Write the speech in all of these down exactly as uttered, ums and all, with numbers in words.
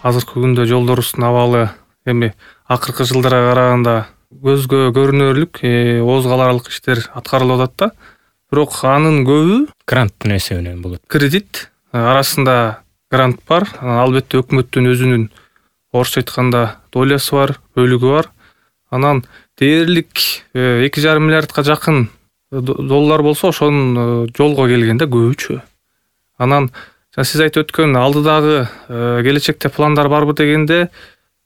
азыркы күндө жолдорубуздун абалы эми акыркы жылдарга караганда көзгө көрүнөрлүк ооз каларлык иштер аткарылып атат да. Бирок анын көбү гранттын эсебинен болот. Кредит арасында грант бар. Албетте өкмөттүн өзүнүн орусча айтканда долясы бар, бөлүгү бар. Анан дээрлик эки жарым миллиардка жакын доллар болсо ошонун жолго келгенде көбүчө. Анан сиз айтып өткөн алдыдагы келечекте пландар барбы дегенде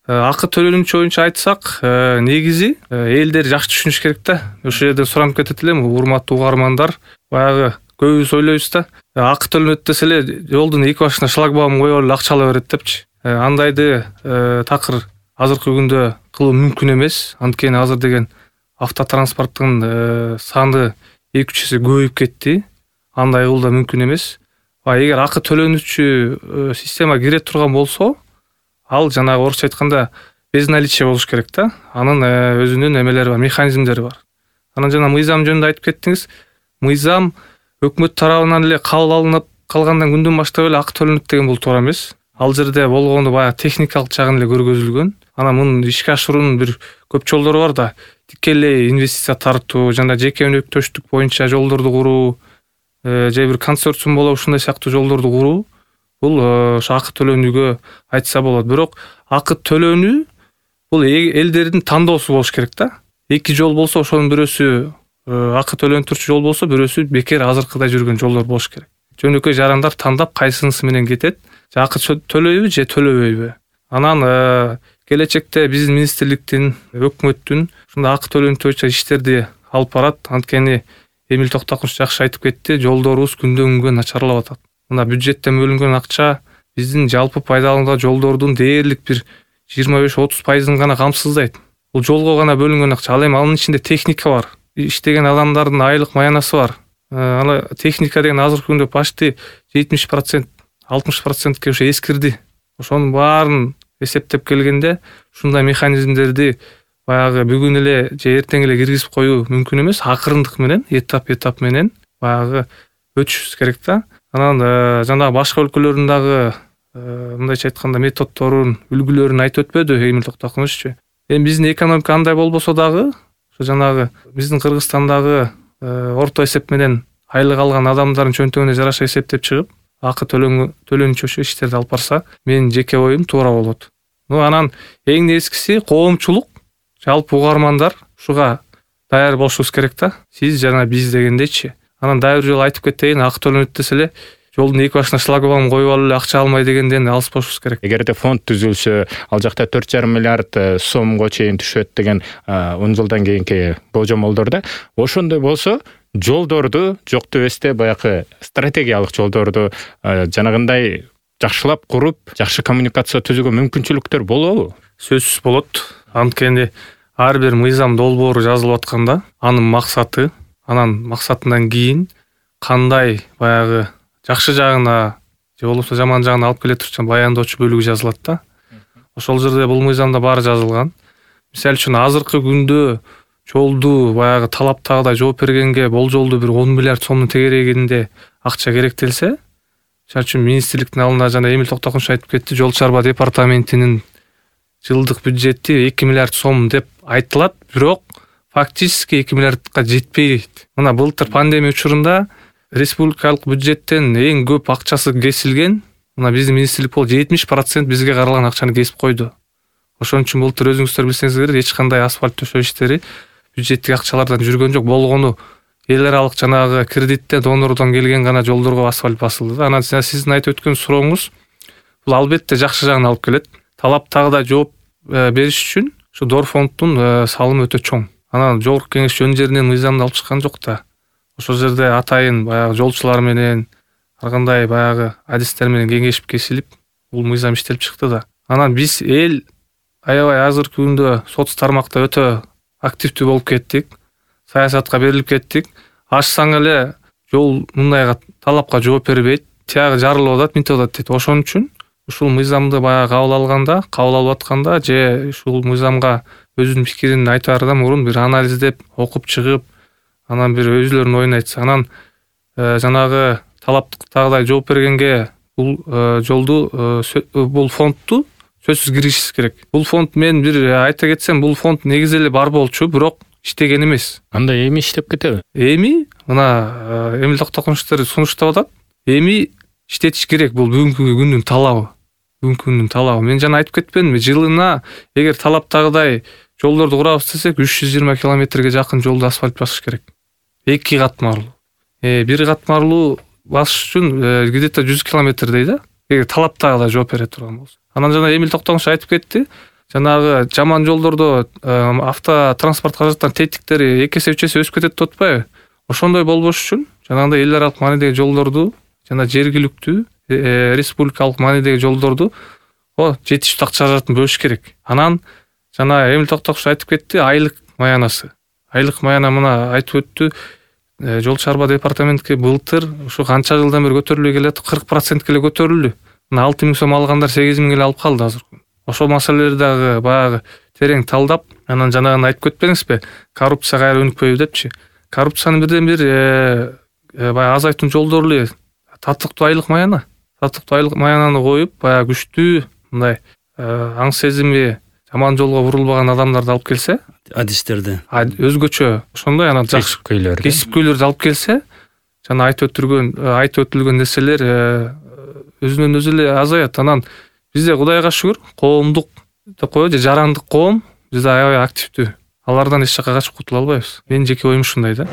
акы төлөнүүчү боюнча айтсак, негизи элдер жакшы түшүнүш керек да. Ошол жерде суранып кетет элем, урматтуу угармандар, баягы көбүбүз ойлойбуз да, акы төлөнөт десе эле жолдун эки башына шлагбаум коюп эле акча ала берет депчи. Андайды такыр азыркы күндө кылуу мүмкүн эмес. Анткени азыр деген автотранспорттун саны эки үч эсе көбөйүп кетти. Андай кылуу да мүмкүн эмес. Эгер акы төлөнүүчү система кире турган болсо, ал жанагы орусча айтканда безналичие болуш керек да. Анын өзүнүн эмелери бар, механизмдери бар. Анан жана мыйзам жөнүндө айтып кеттиңиз. Мыйзам өкмөт тарабынан эле кабыл алынып калгандан күндөн баштап эле акы төлөнөт деген бул туура эмес. Ал жерде болгону баягы техникалык жагын эле көргөзүлгөн. Анан мунун ишке ашыруунун бир көп жолдору бар да. Тикелей инвестиция тартуу, жана жеке өнөктөштүк боюнча жолдорду куруу, же бир консорциум болуп ушундай сыяктуу жолдорду куруу, бул ошо акы төлөнүүгө айтса болот. Бирок акы төлөнүү бул элдердин тандоосу болуш керек да. Эки жол болсо ошонун бирөөсү акы төлөнүп турчу жол болсо, бирөөсү бекер азыркыдай жүргөн жолдор болуш керек. Жөнөкөй жарандар тандап кайсынысы менен кетет, же акы төлөйбү же төлөбөйбү. Анан келечекте биздин министрликтин, өкмөттүн ушундай акы төлөнүү боюнча иштерди алып барат. Анткени Эмил Токтокуш жакшы айтып кетти, жолдорубуз күндөн күнгө начарлап атат. Мына бюджеттен бөлүнгөн акча биздин жалпы пайдаланууга жолдордун дээрлик бир жыйырма беш отуз пайызын гана камсыздайт. Бул жолго гана бөлүнгөн акча. Ал эми анын ичинде техника бар, иштеген адамдардын айлык маянасы бар. Ана техника деген азыркы күндө почти жетимиш процент, алтымыш процентке ошо эскирди. Ошонун баарын эсептеп келгенде, ушундай механизмдерди баягы бүгүн эле же эртең эле киргизип коюу мүмкүн эмес. Акырындык менен, этап-этап менен баягы өтүшүбүз керек да. Анан жанагы башка өлкөлөрдүн дагы мындайча айтканда методдорун, үлгүлөрүн айтып өтпөдү Эмил Токтокушчу. Эми биздин экономика андай болбосо дагы, ошо жанагы биздин Кыргызстандагы орто эсеп менен айлык алган адамдардын чөнтөгүнө жараша эсептеп чыгып, акы төлөнүүчү ошо иштерди алып барса, менин жеке оюм туура болот. Ну анан эң нескиси коомчулук, жалпы угармандар ушуга даяр болушубуз керек да. Сиз жана биз дегендечи. Анан дагы бир жолу айтып кетейин, акы төлөнөт десе эле жолдун эки башына шлагбаум коюп алып эле акча алмай дегенден алыс болушубуз керек. Эгерде фонд түзүлсө, ал жакта төрт жарым миллиард сомго чейин түшөт деген он жылдан кийинки болжомолдорда, ошондой болсо жолдорду жок дебесте баягы стратегиялык жолдорду жанагындай жакшылап куруп, жакшы коммуникация түзүүгө мүмкүнчүлүктөр болобу? Сөзсүз болот. Анткени ар бир мыйзам долбоору жазылып атканда, анын максаты, анан максатынан кийин кандай баягы жакшы жагына же болбосо жаман жагына алып келе турчу баяндоочу бөлүгү жазылат да. Ошол жерде бул мыйзамда баары жазылган. Мисалы үчүн азыркы күндө жолду баягы талаптагыдай жооп бергенге болжолду бир он миллиард сомдун тегерегинде акча керектелсе, мисалы үчүн министрликтин алдына жана Эмил Токтокуш айтып кетти, жол чарба департаментинин жылдык бюджети эки миллиард сом деп айтылат, бирок фактически эки миллиардка жетпейт. Мына былтыр пандемия учурунда республикалык бюджеттен эң көп акчасы кесилген, мына биздин министрлик болуп жетимиш процент бизге каралган акчаны кесип койду. Ошон үчүн былтыр өзүңүздөр билсеңиздер керек, эч кандай асфальт төшөө иштери бюджеттик акчалардан жүргөн жок. Болгону эл аралык жанагы кредиттен, донордон келген гана жолдорго асфальт басылды. Анан сиздин айтып өткөн сурооңуз бул албетте жакшы жагына алып келет. Талаптагыдай жооп бериш үчүн ушу Дорфонддун салымы өтө чоң. Анан жогорку кеңеш жөн жеринен мыйзамды алып чыккан жок да. Ошол жерде атайын баягы жолчулар менен ар кандай баягы адистер менен кеңешип кесилип, бул мыйзам иштелип чыкты да. Анан биз эл аябай азыркы күндө соц тармакта өтө активдүү болуп кеттик. Саясатка берилип кеттик. Ачсаң эле жол мындайга талапка жооп бербейт, тиягы жарылып атат, мынтип атат дейт. Ошон үчүн ушул мыйзамды баягы кабыл алганда, кабыл алып атканда же ушул мыйзамга өзүнүн пикирин айтаардан мурун бир анализдеп, окуп чыгып, анан бир өзүлөрүнүн оюн айтса, анан жанагы талаптагыдай жооп бергенге бул жолду, бул фондду сөзсүз киришибиз керек. Бул фонд, мен бир айта кетсем, бул фонд негизи эле бар болчу, бирок иштеген эмес. Анда эми иштеп кетеби? Эми мына Эмил Токтогуловичтер сунуштап атат. Эми иштетиш керек, бул бүгүнкү күндүн талабы. Бүгүнкү күндүн талабы. Мен жана айтып кетпедимби, жылына эгер талаптагыдай жолдорду курабыз десек, үч жүз жыйырма километрге жакын жолду асфальт басыш керек. Эки катмарлуу. Э, бир катмарлуу басыш үчүн где-то жүз километрдей да. Эгер талаптагыдай жооп бере турган болсо. Анан жана Эмил Токтогулович айтып кетти. Жанагы жаман жолдордо автотранспорт каражаттарынын тетиктери эки эсе үч эсе өсүп кетет деп атпайбы? Ошондой болбош үчүн жанагындай эл аралык маанидеги жолдорду жана жергиликтүү республикалык маанидеги жолдорду жетиштүү акча каражатын бөлүш керек. Анан жана Эмил Токтогулович айтып кетти, айлык маянасы. Айлык маяна мына айтып өттү. Жол чарба департаментке былтыр ушу канча жылдан бери көтөрүлбөй келет, кырк процентке эле көтөрүлдү. Мына алты миң сом алгандар сегиз миң эле алып калды азыр. Ошол маселелерди дагы баягы терең талдап, анан жанагыны айтып кетпеңизби, коррупция кайра өнүкпөйбү депчи. Коррупцияны бирден бир баягы азайтуунун жолдору эле татыктуу айлык маяна. Татыктуу айлык маянаны коюп, баягы күчтүү мындай аң сезими жаман жолго бурулбаган адамдарды алып келсе, адистерди, өзгөчө ошондой анан жакшы кесипкөйлөрдү алып келсе, жана айтып өтүлгөн айтып өтүлгөн нерселер өзүнөн өзү эле азаят. Анан бизде Кудайга шүгүр, коомдук деп коебу, же жарандык коом бизде аябай активдүү. Алардан эч жака качып кутула албайбыз. Менин жеке оюм ушундай да.